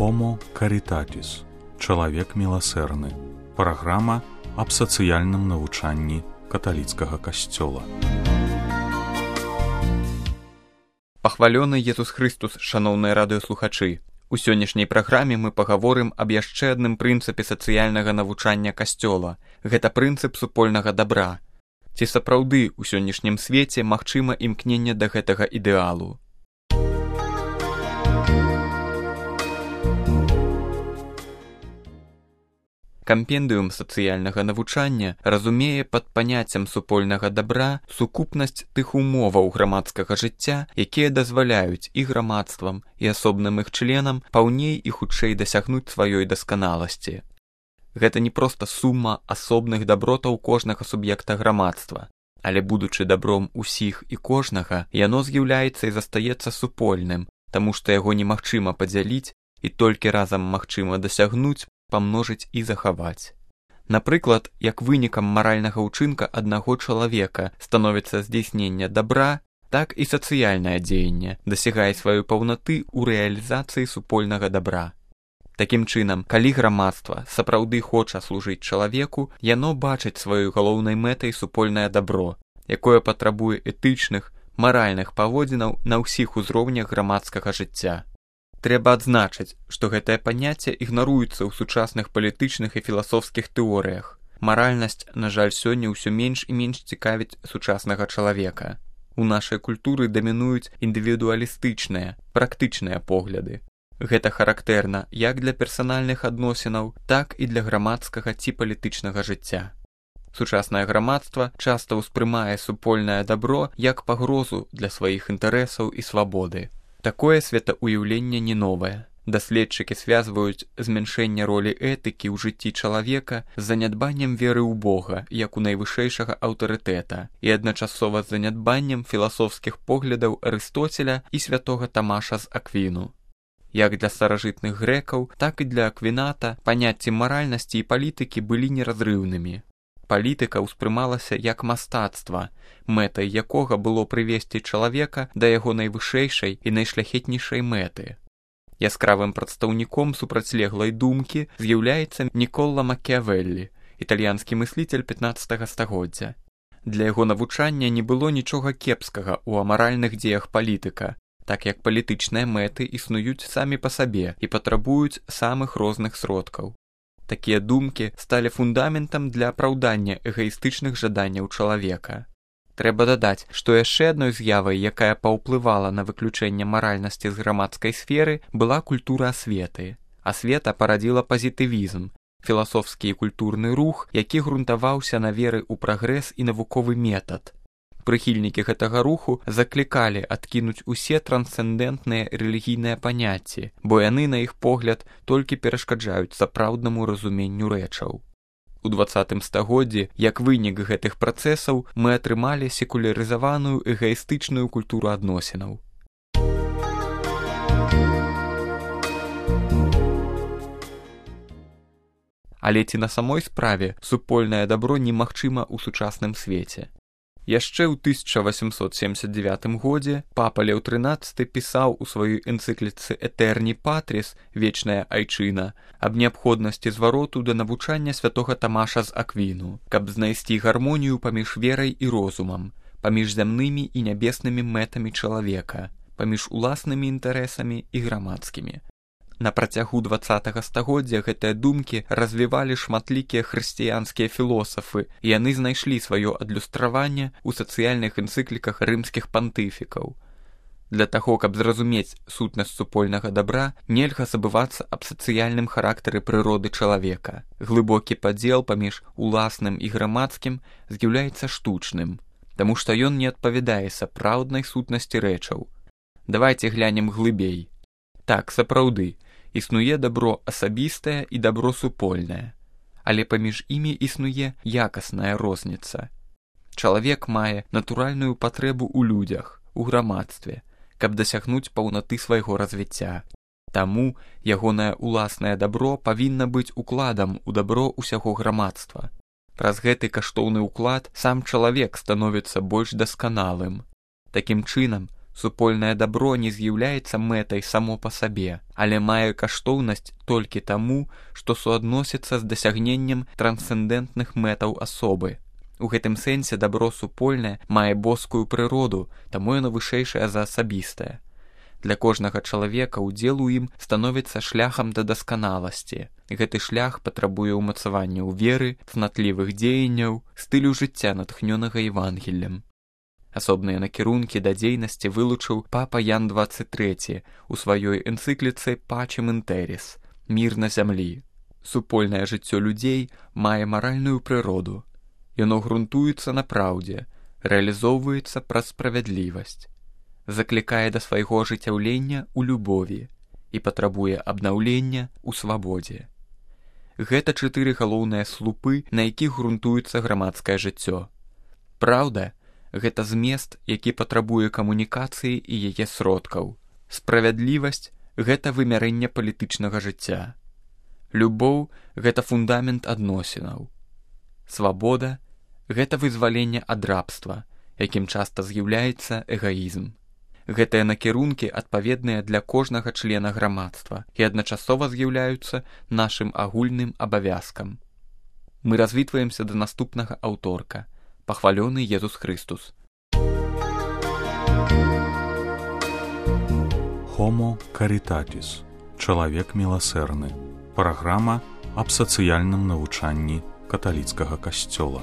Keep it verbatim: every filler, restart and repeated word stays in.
Homo Caritatis. Чалавек міласэрны. Праграма аб сацыяльным навучанні каталіцкага касцёла. Пахвалёны Езус Христус, шаноўныя радыёслухачы! У сённяшняй праграме мы пагаворым аб яшчэ адным прынцыпе сацыяльнага навучання касцёла. Гэта прынцып супольнага дабра. Ці сапраўды ў сённяшнім свеце магчыма імкненне да гэтага ідэалу? Кампендыум сацыяльнага навучання разумее пад паняццем супольнага дабра сукупнасць тых умоваў грамадскага жыцця, якія дазваляюць і грамадствам, і асобным іх членам паўней і хутчэй дасягнуць сваёй дасканаласці. Гэта не проста сума асобных дабротаў кожнага суб'екта грамадства, але будучы дабром усіх і кожнага, яно з'яўляецца і застаецца супольным, таму што яго немагчыма падзяліць і толькі разам магчыма дасягнуць, памножыць і захаваць. Напрыклад, як вынікам маральнага ўчынка аднаго чалавека становіцца здзейснення дабра, так і сацыяльнае дзеянне дасягае сваёй паўнаты ў рэалізацыі супольнага дабра. Такім чынам, калі грамадства сапраўды хоча служыць чалавеку, яно бачыць сваёй галоўнай мэтай супольнае дабро, якое патрабуе этычных, маральных паводзінаў на ўсіх узроўнях грамадскага жыцця. Трэба адзначыць, што гэтае паняцце ігнаруецца ў сучасных палітычных і філасофскіх тэорыях. Маральнасць, на жаль, сёння ўсё менш і менш цікавіць сучаснага чалавека. У нашай культуры дамінуюць індывідуалістычныя, практычныя погляды. Гэта характэрна як для персанальных адносінаў, так і для грамадскага ці палітычнага жыцця. Сучаснае грамадства часта ўспрымае супольнае дабро як пагрозу для сваіх інтарэсаў і свабоды. Такое светаўяўленне не новае. Даследчыкі звязваюць змяншэнне ролі этыкі ў жыцці чалавека з занядбаннем веры ў Бога, як у найвышэйшага аўтарытэта, і адначасова з занядбаннем філасофскіх поглядаў Арыстоцеля і святога Тамаша з Аквіну. Як для старажытных грэкаў, так і для Аквіната паняцці маральнасці і палітыкі былі неразрыўнымі. Палітыка ўспрымалася як мастацтва, мэтай якога было прывесці чалавека да яго найвышэйшай і найшляхетнейшай мэты. Яскравым прадстаўніком супрацьлеглай думкі з'яўляецца Нікола Макіявеллі, італьянскі мысліцель пятнаццатага стагоддзя. Для яго навучання не было нічога кепскага ў амаральных дзеях палітыка, так як палітычныя мэты існуюць самі па сабе і патрабуюць самых розных сродкаў. Такія думкі сталі фундаментам для апраўдання эгаістычных жаданняў чалавека. Трэба дадаць, што яшчэ адной з'явай, якая паўплывала на выключэнне маральнасці з грамадскай сферы, была культура асветы. Асвета парадзіла пазітывізм, філасофскі і культурны рух, які грунтаваўся на веры ў прагрэс і навуковы метад. Прыхільнікі гэтага руху заклікалі адкінуць усе трансцэндэнтныя рэлігійныя паняцці, бо яны, на іх погляд, толькі перашкаджаюць сапраўднаму разуменню рэчаў. У дваццатым стагоддзі, як вынік гэтых працэсаў, мы атрымалі секулярызаваную эгаістычную культуру адносінаў. Але ці на самой справе супольнае дабро немагчыма ў сучасным свеце? Яшчэ ў тысяча васямсот семдзесят дзевятым годзе папа Леў трынаццаты пісаў у сваёй энцыкліцы «Этерні Патріс» «Вечная айчына» аб неабходнасці звароту да навучання святога Тамаша з Аквіну, каб знайсці гармонію паміж верай і розумам, паміж зямнымі і нябеснымі мэтамі чалавека, паміж уласнымі інтарэсамі і грамадскімі. На працягу дваццатага стагоддзя гэтыя думкі развівалі шматлікія хрысціянскія філосафы, і яны знайшлі сваё адлюстраванне ў сацыяльных энцыкліках рымскіх пантыфікаў. Для таго, каб зразумець сутнасць супольнага дабра, нельга забывацца аб сацыяльным характары прыроды чалавека. Глыбокі падзел паміж уласным і грамадскім з'яўляецца штучным, таму што ён не адпавядае сапраўднай сутнасці рэчаў. Давайце глянем глыбей. Так, сапраўды, існуе дабро асабістае і дабро супольнае, але паміж імі існуе якасная розніца. Чалавек мае натуральную патрэбу ў людзях, у грамадстве, каб дасягнуць паўнаты свайго развіцця. Таму ягонае уласнае дабро павінна быць укладам у дабро ўсяго грамадства. Праз гэты каштоўны ўклад сам чалавек становіцца больш дасканалым. Такім чынам, Супольнае дабро не з'яўляецца мэтай само па сабе, але мае каштоўнасць толькі таму, што суадносіцца з дасягненнем трансцэндэнтных мэтаў асобы. У гэтым сэнсе дабро супольнае мае боскую прыроду, таму яно вышэйшае за асабістае. Для кожнага чалавека ўдзел у ім становіцца шляхам да дасканаласці. Гэты шлях патрабуе ўмацавання ў веры, цнатлівых дзеянняў, стылю жыцця, натхнёнага Евангеллем. Асобныя накірункі да дзейнасці вылучыў папа Ян дваццаць трэці у сваёй энцыкліцы «Пачем ін тэріс» – «Мір на зямлі». Супольнае жыццё людзей мае маральную прыроду. Яно грунтуецца на праўдзе, рэалізоўваецца праз справядлівасць, заклікае да свайго ажыццяўлення ў любові і патрабуе абнаўлення ў свабодзе. Гэта чатыры галоўныя слупы, на якіх грунтуецца грамадскае жыццё. Праўда – гэта змест, які патрабуе камунікацыі і яе сродкаў. Справядлівасць – гэта вымярэнне палітычнага жыцця. Любоў – гэта фундамент адносінаў. Свабода – гэта вызваленне ад рабства, якім часта з'яўляецца эгаізм. Гэтыя накірункі адпаведныя для кожнага члена грамадства і адначасова з'яўляюцца нашым агульным абавязкам. Мы развітваемся да наступнага аўторка. Пахвалёны Езус Христус. Homo Caritatis. Чалавек міласэрны. Праграма аб сацыяльным навучанні каталіцкага касцёла.